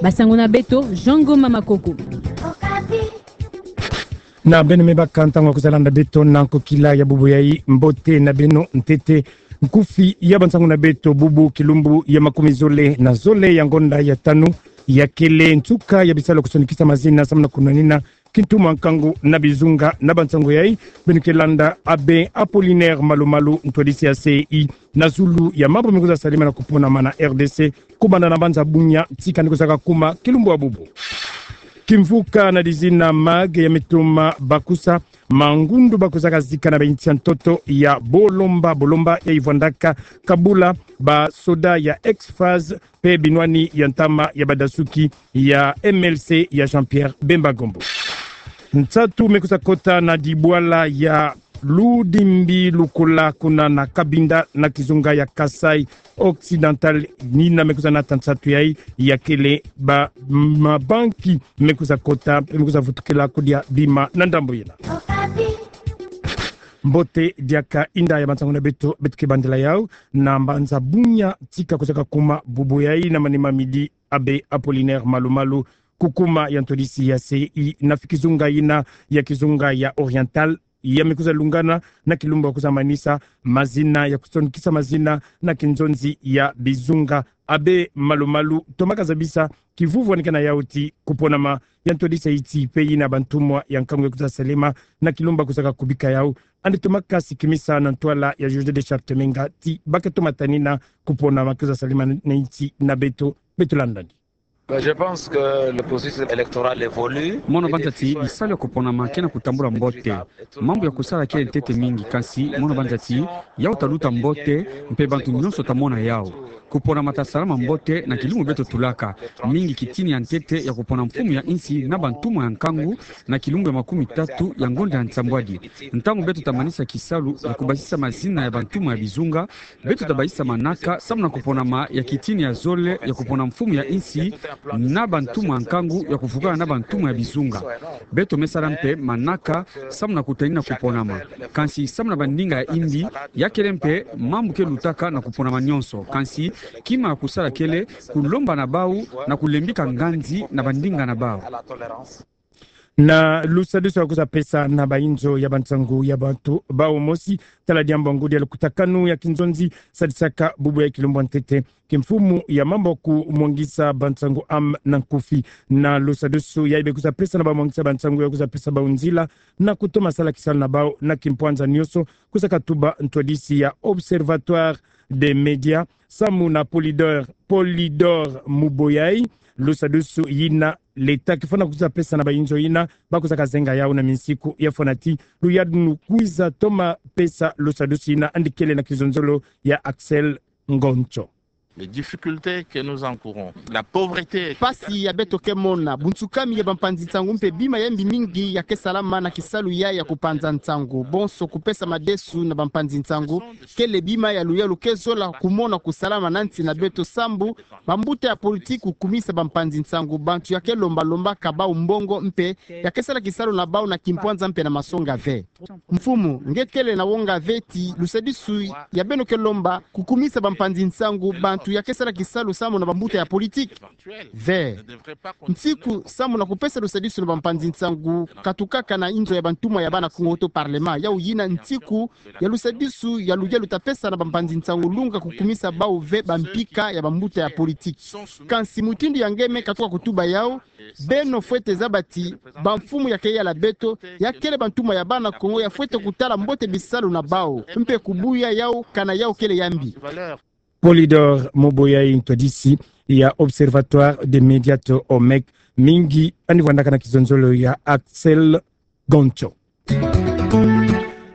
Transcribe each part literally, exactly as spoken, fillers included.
Basango na beto, Jean Ngoma Makoko. Na beno me baka ntango ya kwiza landa beto na nkokila ya bubu yayi. Mbote na beno ntete. Nkufi ya bansango na beto bubu kilumbu ya makumi zole na zole ya ngonda ya tanu, ya kele nsuka ya bisalu ya kusonikisa mazina samu na kunwanina kintumu ya nkangu na bizunga. Na bansango yayi beno ke landa Abbé Apollinaire Malu Malu, ntwadisi ya C E I, na zulu ya mambu me kwiza salama na kuponama na R D C, kubanda na mbanza Bunia tika ni kwiza kakuma kilumbu ya bubu. Kimvuka na dizina MAG ya me toma bakusa mangundu ba kwizaka zika na ba insi ya ntoto ya Bolomba Bolomba, yayi vwandaka kabula ba soda ya ex-FAST mpe binwani ya ntama ya badasuki ya M L C ya Jean-Pierre Bemba Gombo. Nsatu me kwiza kota na dibwala ya Ludimbi Lukula kuna na Cabinda na kizunga ya Kasaï Occidental, nina me kwiza nata nsatu yayi, ya kele ba mabanki me kwiza kota, me kwiza vutukila kudia bima na ndambu yina. Mbote diaka, inda ya bansango na beto, beto ke bandila yawu na mbanza Bunia tika kwiza kakuma bubu yayi na manima midi Abbé Apollinaire Malu Malu, kukuma ya ntwadisi ya C E I na fi kizunga yina ya kizunga ya Oriental, ya me kwiza lungana na kilumbu ya kwiza manisa mazina ya kusonikisa mazina na kinzonzi ya bizunga. Abbé Malu Malu, tomaka zabisa kivuvu ya nike na yawu ti kuponama ya ntwadisi ya iti pe yina bantumwa ya nkangu ya kwiza salama na kilumbu ya kwiza kakubika yawu. Yandi tomaka sikimisa na ntwala ya José de Charte Menga ti ba ke toma tanina kuponama kwiza salama na iti na beto. Beto landa ndi. Ben, je pense que le processus électoral évolue. Mono banza ti bisalu ya kuponama ke na kutambula mbote. Mambu ya kusala kele ntete mingi, kansi mono banza ti yawu ta luta mbote, mpe bantu nyonso ta mona yawu. Kuponama ta salama mbote na kilumbu beto tulaka. Mingi kitini ya ntete ya kupona mfumu ya insi na bantumwa ya nkangu na kilumbu ya makumi tatu ya ngonda ya nsambwadi. Ntangu beto ta manisa kisalu ya kubasisa mazina ya bantumwa ya bizunga, beto ta basisa manaka samu na kuponama ya kitini ya zole ya kupona mfumu ya insi na bantumwa ya nkangu ya kuvukana na bantumwa ya bizunga. Beto me sala mpe manaka samu na kutanina kuponama. Kansi samu na bandinga ya imbi, ya kele mpe mambu ke lutaka na kuponama nyonso. Kansi kima ya kusala kele kulomba na bawu na kulembika nganzi na bandinga na bawu. Na lusadusu ya kwiza pesa na bayinzo ya bansangu ya bantu bawu mosi, tala diambu ya ngudi ya lukutakanu ya kinzonzi sadisaka bubu ya kilumbu ya ntete kimfumu ya mambu ya kumwangisa bansangu, am, na nkufi. Na lusadusu yayi be kwiza pesa na bamwangisa bansangu ya kwiza pesa bawu nzila na kutoma sala kisalu na bawu na kimpwanza nyonso, kwiza katuba ntwadisi ya Observatoire des médias samu na Polydor, Polydor Muboyayi. Lusadusu yina leta ke fwana kwiza pesa na bayinzo yina, ba kwiza kazenga yawu na minsiku ya fwanati. Luyadunu kwiza toma pesa lusadusu yina, yandi kele na kizonzolo ya Axel Ngoncho. Les difficultés que nous encourons, la pauvreté. Mpasi ya beto ke mona, bunsukami ya bampanzi nsangu mpe bima ya mbi mingi ya ke salama na kisalu ya, ya kupanza nsangu. Bonso kupesa madesu na bampanzi nsangu kele bima ya luyalu ke zola kumona kusalama na nsi na beto sambu bambuta ya politiki kukumisa bampanzi nsangu bantu ya ke lomba lombaka bawu mbongo mpe ya ke sala kisalu na bawu na kimpwanza mpe na masonga ve. Mfumu, nge kele na wonga ve ti lusadisu ya beno ke lomba kukumisa bampanzi nsangu bantu ya ke sala kisalu samu na bambuta ya politiki? Ve. Nsiku samu na kupesa lusadisu na bampanzi nsangu katukaka na inzo ya bantumwa ya bana Kongo to parlement. Yawu yina nsiku ya lusadisu ya luyalu ta pesa na bampanzi nsangu lunga kukumisa bawu ve bampika ya bambuta ya politiki. Kansi mutindu ya nge me katuka kutuba yawu, beno fwete zaba ti bamfumu ya ke yala beto ya kele bantumwa ya bana Kongo, ya fwete kutala mbote bisalu na bawu mpe kubuya yawu kana yawu kele ya mbi. Polydor Muboyayi, ntwadisi ya Observatoire des médias to O M E C, mingi yandi vwandaka na kizonzolo ya Axel Goncho.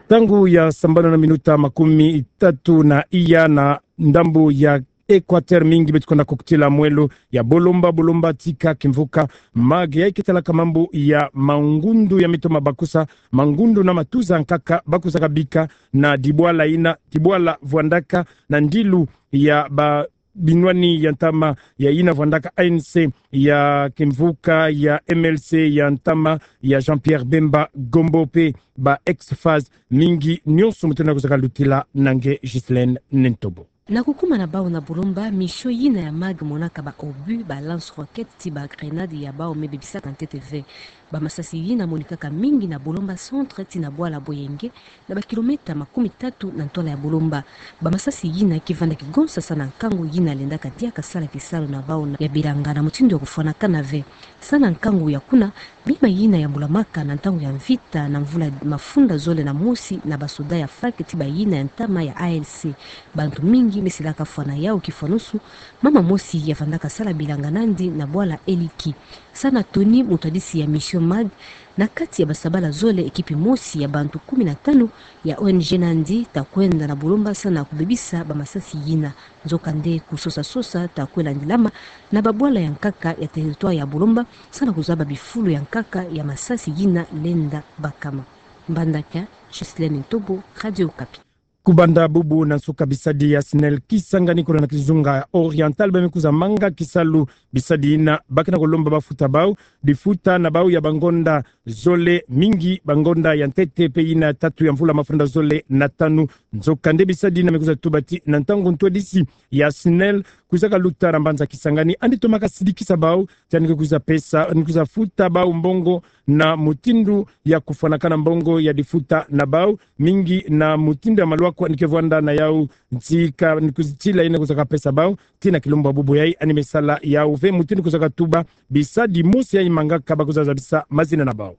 Ntangu ya sambanu na minuta makumi tatu na iya na ndambu ya Equateur, mingi beto kwenda kukutila mwelo ya Bolomba Bolomba tika kimvuka MAG yayi ke talaka mambu ya mangundu ya mito ma bakusa, mangundu na matuza nkaka ba kwiza kabika na dibwala yina, dibwala vwandaka na ndilu ya ba binwani ya ntama ya yina vwandaka A N C ya kimvuka ya M L C ya ntama ya Jean-Pierre Bemba Gombo mpe ba ex-FAST, mingi nyonso mu tuna kwiza kalutila na nge Ghislaine Nentobo. Na kukuma na bau na Bolomba, mission yina ya MAG monaka ba obus, ba lance-roquettes ti ba grenades ya bau me bebisaka ntete ve. Ba masasi yina monikaka mingi na Bolomba centre tii na bwala Boyenge, na ba kilomètre makumi tatu na ntwala ya Bolomba. Ba masasi yina ki vanda kigonsa sa na nkangu yina lendaka diaka sala kisalu na bau na ya bilanga na mutindu ya kufwanakana ve. Sa na nkangu ya kuna, bima yina yambulamaka na ntangu ya mvita na mvula mafunda zole na mosi na ba soda ya FAK tii ba yina ya ntama ya A L C. Bantu mingi me silaka fwana yau kifwanusu, mama mosi yavandaka sala bilanga nandi na bwala Eliki. Sa na Tony, mutwadisi ya mission MAG, na kati ya ba sabala zole, ekipi mosi ya bantu kumi na tanu ya O N G nandi ta kwenda na Bolomba sa na kubebisa ba masasi yina. Nzokande kusosa-sosa ta kwe landilama na ba bwala ya nkaka ya territoire ya Bolomba, sa na kuzaba bifulu ya nkaka ya masasi yina lenda bakama. Mbandaka, Ghislaine Ntobo, Radio Okapi. Kubanda bubu na nsuka, bisadi ya SNEL Kisangani kuna na kizunga Oriental ba me kwiza manga kisalu. Bisadi yina ba ke na kulomba bafuta bau difuta na bau ya bangonda zole, mingi bangonda ya ntete mpe yina tatu ya mvula mafunda zole na tanu. Nzokande bisadi yina me kwiza tuba ti na ntangu ntwadisi ya SNEL kwizaka luta na mbanza Kisangani, yandi tomaka sidikisa bau ti yandi ke kwiza pesa, yandi kwiza futa bau mbongo na mutindu ya kufwanakana mbongo ya difuta na bau, mingi na mutindu ya malwaku yandi ke vwanda na yau, nti ka yandi kwiza tila yina kwizaka pesa bau. Tii na kilumbu ya bubu yai yandi me sala yau ve mutindu kwizaka tuba bisadi mosi yai mangaka, ba kwiza zabisa mazina na bau.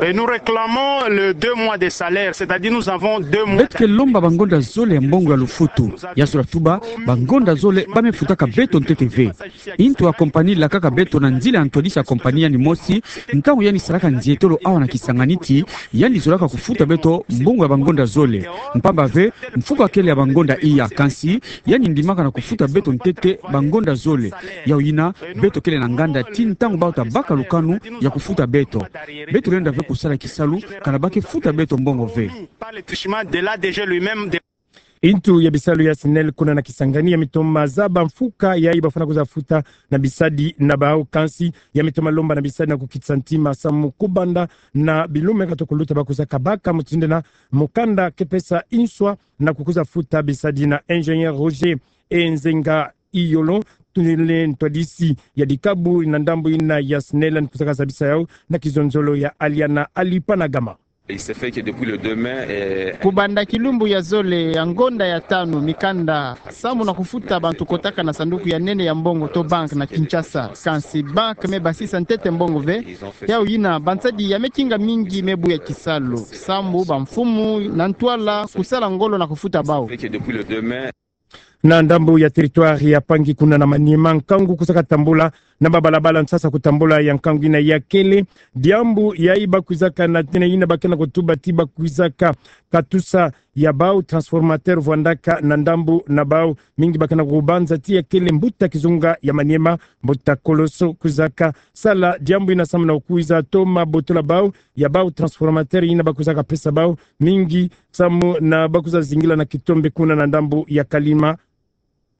Et nous réclamons le deux mois de salaire, c'est-à-dire nous avons deux mois. Beto ke lomba bangonda zole ya mbongo ya lufutu. Ya sula tuba, bangonda zole ba me futaka beto ntete ve. Ntu ya compagnie lakaka beto na nzila ya ntwadisi ya compagnie yandi mosi, ntangu yandi salaka nzietolo awa na Kisangani ti yandi zolaka kufuta beto mbongo ya bangonda zole. Mpamba ve, mfuko ya kele ya bangonda iya, kansi yandi ndimaka na kufuta beto ntete bangonda zole. Yau yina, beto kele na nganda ti ntangu bau ta baka lukanu ya kufuta beto. Beto lenda ve kusala kisalu, kana ba ke futa beto mbongo ve. Par le truchement de l'A D G lui-même de Ntu ya bisalu ya SNEL kuna na Kisangani ya me toma zaba mfuka yai ba fwana kwiza futa na bisadi na bau, kansi ya me toma lomba na bisadi na kukitisa ntima samu kubanda na bilume ka toko luta ba kwizaka baka mutindu yina mukanda ke pesa nswa na kukwiza futa bisadi. Na ingénieur Roger Enzenga Iyolo, tule ntwadisi ya dikabu na ndambu yina ya SNEL, yandi kwizaka zabisa yau na kizonzolo ya Aliana Alipanagama. Il se fait que depuis le deux mai, eh, Kubanda kilumbu ya zole ya ngonda ya tanu, mikanda samu na kufuta bantu kotaka na sanduku ya nene ya mbongo to banque na Kinshasa. Kansi banque me basisa ntete mbongo ve. Yau yina, bansadi ya mekinga mingi me buya kisalu, samu bamfumu na ntwala kusala ngolo na kufuta bau. Il se fait que depuis le deux mai, Na ndambu ya territoire ya Pangi kuna na Maniema, nkangu kwizaka tambula na babalabala nsasa kutambula ya nkangu yina ya kele. Diambu yai ba kwizaka na tina yina ba ke na kutuba ti ba kwizaka katusa ya bau transformateur vwandaka na ndambu na bau. Mingi ba ke na kubanza ti ya kele mbuta kizunga ya Maniema, mbuta Koloso kwizaka sala diambu yina samu na kukwiza toma botola bau ya bau transformateur yina ba kwizaka pesa bau, mingi samu na ba kwiza zingila na kitombe kuna na ndambu ya Kalima.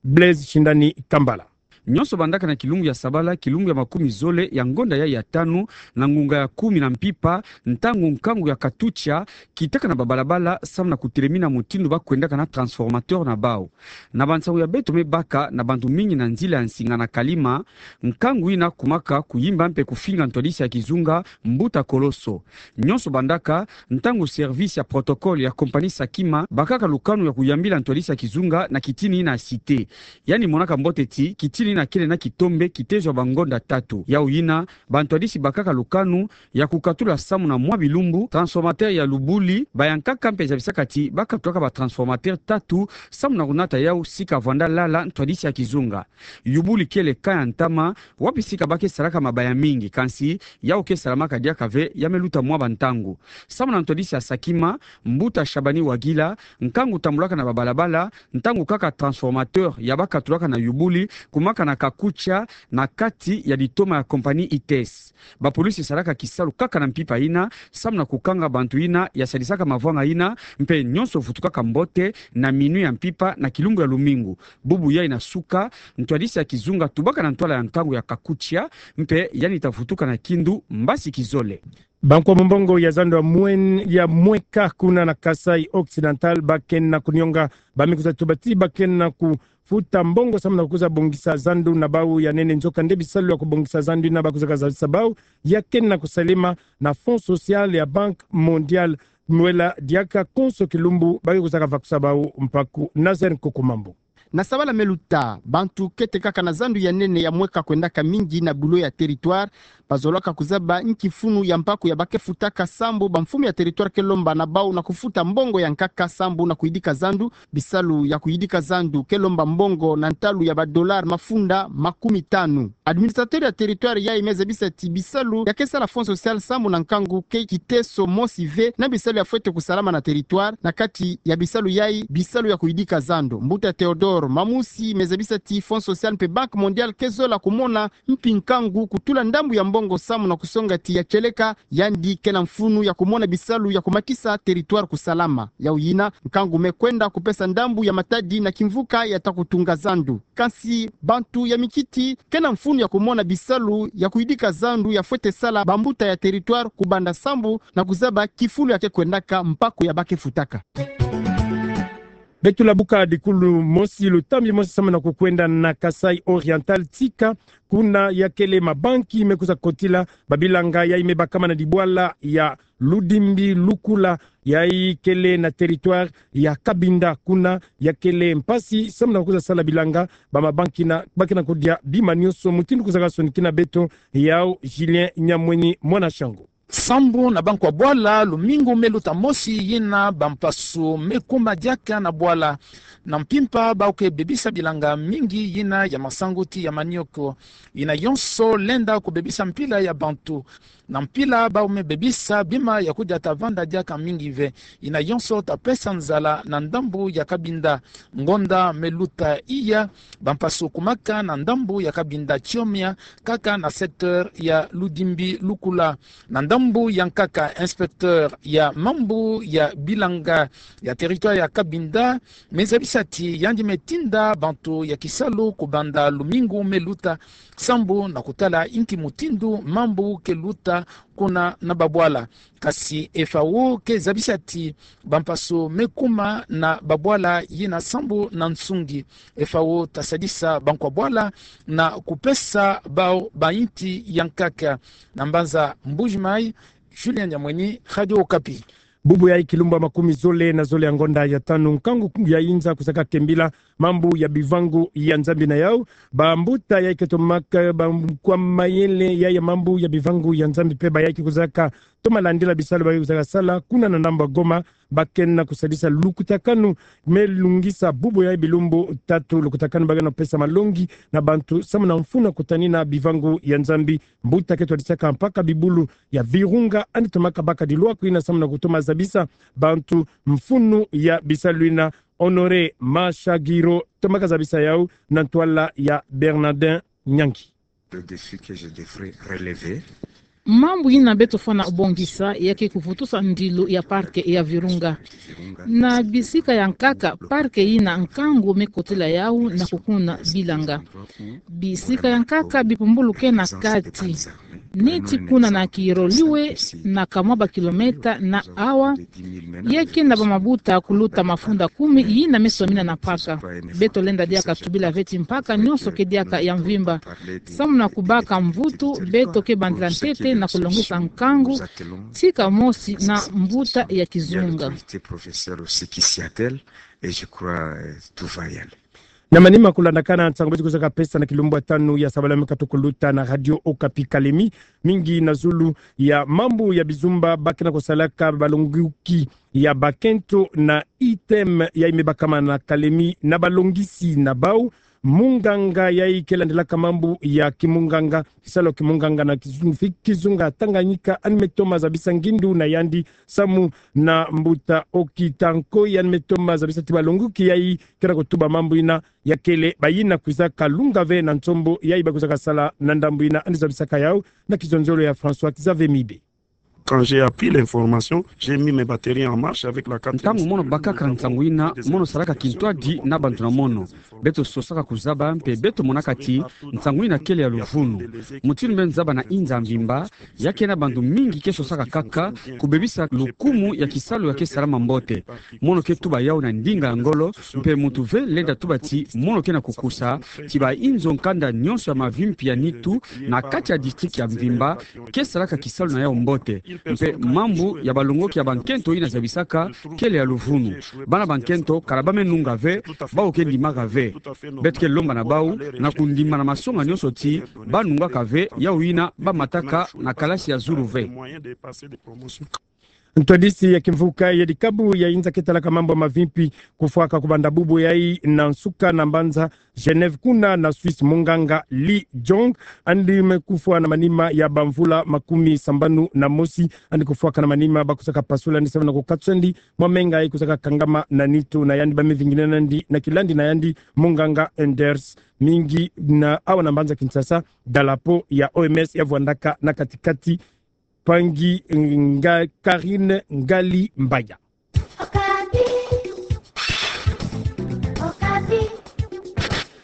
Blaise Shindani Kambala. Nyonso bandaka na kilumbu ya sabala, kilumbu ya makumi zole ya ngonda yai ya tanu, na ngunga ya kumi na mpimpa, ntangu nkangu ya katucha kitaka na babalabala samu na kutelemina mutindu ba kwendaka na transformateur na bau. Na bansangu ya beto me baka na bantu mingi na nzila ya nsinga na Kalima, nkangu yina kumaka kuyimba mpe kufinga ntwadisi ya kizunga, mbuta Koloso. Nyonso bandaka ntangu service ya protocole ya compagnie Sakima bakaka lukanu ya kuyambila ntwadisi ya kizunga na kitini yina ya Cité. Yandi monaka mbote ti kitini yina kele na kitombe kitezo ya bangonda tatu. Yau yina, bantwadisi bakaka lukanu ya kukatula samu na mwa bilumbu transformateur ya Lubuli, bayankaka mpe zabisaka ti ba katulaka ba transformateur tatu samu na kunata yau sika vwanda lala ntwadisi ya kizunga. Lubuli kele camp ya ntama, wapi sika ba ke salaka mabaya mingi, kansi yau ke salamaka diaka ve, ya me luta mwa bantangu. Samu na ntwadisi ya Sakima, mbuta Shabani Wagila, nkangu tambulaka na babalabala, ntangu kaka transformateur ya ba katulaka na Lubuli kumaka na kakucha na kati ya litoma ya compagnie I T S. Bapolisi salaka kisalu kaka na mpimpa yina samu na kukanga bantu yina ya sadisaka mavwanga yina, mpe nyonso vutukaka mbote na minuit ya mpimpa na kilumbu ya lumingu. Bubu yai na suka, ntwadisi ya kizunga tubaka na ntwala ya nkangu ya kakucha, mpe yandi ta vutuka na kindu mbasi kizole. Bankwa mbongo ya zandu ya mwen-, ya mweka kuna na Kasaï Occidental bakena kunionga ba me kwiza tuba ti bakena kufuta mbongo samu na kwiza bongisa zandu na bau ya nene, nzokande bisalu ya kubongisa zandu ina ba kwizaka zabisa bau ya kena kusalema na Fonds Social ya Banque Mondiale. Mwela diaka konso kilumbu ba ke kwizaka vakusa bau mpaku. Nazaire Nkokomambo. Na sabala me luta, bantu kete kaka na zandu ya nene ya mweka kwendaka mingi na bulo ya territoire, bazolaka kuzaba nki mfunu ya mpaku ya ba ke futaka sambu bamfumu ya territoire ke lomba na bau na kufuta mbongo ya nkaka sambu na kuyidika zandu. Bisalu ya kuyidika zandu ke lomba mbongo na ntalu ya ba dollars mafunda makumi tanu. Administrateur ya territoire yayi me zabisa ti bisalu ya ke sala Fonds Social sambu na nkangu ke kiteso mosi ve na bisalu ya fwete kusalama na territoire. Na kati ya bisalu yayi, bisalu ya kuyidika zandu. Mbuta Théodore Mamusi me zabisa ti Fonds Social mpe Banque Mondiale ke zola kumona mpi nkangu kutula ndambu ya mbongo sambu na kusonga ti ya kieleka, yandi ke na mfunu ya kumona bisalu ya kumatisa territoire kusalama. Yau yina, nkangu me kwenda kupesa ndambu ya matadi na kimvuka ya ta kutunga zandu. Kansi bantu ya mikiti ke na mfunu ya kumona bisalu ya kuyidika zandu ya fwete sala bambuta ya territoire kubanda sambu na kuzaba kifulu ya ke kwendaka mpaku ya ba ke futaka. Beto labuka dikulu mosi, lutambi mosi samu na kukwenda na Kasaï Oriental, tika kuna ya kele mabanki me kwiza kotila babilanga yayi me bakama na dibwala ya Ludimbi Lukula, yayi kele na territoire ya Cabinda. Kuna ya kele mpasi samu na kwiza sala bilanga, ba mabanki na, ba ke na kodia bima nionso. Mutindu kwizaka sonikina beto yau, Julien Nyamweni, mwana Shango. Sambu na bankwa bwala, lumingu me luta mosi yina, bampasu me kuma diaka na bwala. Na mpimpa bau ke bebisa bilanga mingi yina ya masangu ti ya manioko. Yina yonso lenda kubebisa mpila ya bantu. Na mpila bau me bebisa bima ya kudia ta vanda diaka mingi ve. Yina yonso ta pesa nzala na ndambu ya Cabinda. Ngonda me luta iya, bampasu kumaka na ndambu ya Cabinda, tiomia kaka na secteur ya Ludimbi Lukula. Na ndambu ya nkaka, inspecteur ya mambu ya bilanga ya territoire ya Cabinda me zabisa ti yandi me tinda bantu ya kisalu kubanda lumingu me luta sambu na kutala inki mutindu mambu ke luta kuna na babwala. Kasi F A O ke zabisa ti bampasu me kuma na babwala yina sambu na nsungi. F A O ta sadisa bankwa bwala na kupesa bau bainti ya nkaka. Na mbanza Mbuji-Mayi, Julien Nyamweni, Radio Okapi. Bubu yayi kilumbu ya makumi zole na zole ya ngonda ya tanu, nkangu ya inza kwizaka kembila mambu ya bivangu ya Nzambi. Na yau, bambuta yayi ke tomaka bankwa mayele ya, ya mambu ya bivangu ya Nzambi mpe bayayi ke kwizaka toma landila bisalu ba ke kwizaka sala kuna na ndambu ya Goma, ba ke na kusadisa lukutakanu me lungisa bubu yayi bilumbu tatu, lukutakanu ba ke na pesa malongi na bantu samu na mfunu ya kutanina bivangu ya Nzambi. Mbuta ke twadisaka mpaka bibulu ya Virunga, yandi tomaka baka dilwaku yina samu na kutoma zabisa bantu mfunu ya bisalu yina. Honoré Mashagiro tomaka zabisa yau na ntwala ya Bernardin Nyangi. Le défi que je devrais relever. Mambu yina beto fwana bongisa ya ke kuvutusa ndilu ya parc ya Virunga. Na bisika ya nkaka, parc yina nkangu me kotila yau na kukuna bilanga. Bisika ya nkaka bipumbulu ke na kati. Neti kuna na Kiro Liwe, na kamwa ba kilomètre na awa, ya ke na bamabuta kuluta mafunda kumi yina me somina na mpaka. Beto lenda diaka tubila ve ti mpaka nionso ke diaka ya mvimba. Samu na kubaka mvutu, beto ke bandila ntete na kulongisa nkangu, tika mosi na mbuta ya kizunga. Et je crois, euh, tout va y aller. Na manima kulandakana nsangu beto kwizaka pesa na kilumbu ya tanu ya sabala me katu kuluta na Radio Okapi Kalemi, mingi na zulu ya mambu ya bizumba ba ke na kusalaka balonguki ya bakento na ITEM yayi me bakama na Kalemi na balongisi na bau. Munganga yayi ke landilaka mambu ya kimunganga, kisalu kimunganga na kizunga, kizunga Tanganyika, yandi me toma zabisa ngindu na yandi samu na mbuta Okita Nkoy, yandi me toma zabisa ti balonguki yayi ke na kutuba mambu yina ya kele bayina kwizaka lunga ve na nsombo yayi ba kwizaka sala na ndambu yina. Yandi zabisaka yau na kizonzolo ya François Xavier Mibe. Quand j'ai appris l'information, j'ai mis mes batteries en marche avec la quatrième. Ntangu mono bakaka nsangu yina, mono salaka kintwadi na bantu na mono. Beto sosaka kuzaba mpe beto monaka ti nsangu ina kele ya luvunu. Mutindu beno zaba na inza mvimba, ya ke na bantu mingi ke sosaka kaka kubebisa lukumu ya kisalu ya ke salama mbote. Mono ke tuba yawu na ndinga ya ngolo, mpe muntu ve lenda tuba ti mono ke na kukusa ti ba inzo nkanda nyonso ya mavimpi ya nitu na kati ya district ya mvimba ke salaka kisalu na yawu mbote. Mpe mambu ya balongoki ya bankento ina zabisaka kele ya luvunu. Bana bankento kala ba me nunga ve, bawu ke ndimaka ve. Beto ke lomba na bawu na kundima na masonga nyonso ti ba nungaka ve yawu ina ba mataka na kalasi ya zulu ve. Ntwadisi ya kimvuka ya dikabu ya inza ke talaka mambu ya mavimpi kufwaka kubanda bubu yayi na nsuka na mbanza Genève kuna na Suisse, munganga Li Jong, andi me kufwa na manima ya bamvula makumi sambanu na mosi, andi kufwaka na manima ba kusaka pasula'andi sababu na kukatusa'andi mwa menga yayi kusaka kangama na nitu na yandi. Ba me vingina nandi na kilandi na yandi munganga Anders. Mingi na awa na mbanza Kinshasa, dalapo ya O M S ya vwandaka na katikati. Pangi nga Karine Ngali Mbaya.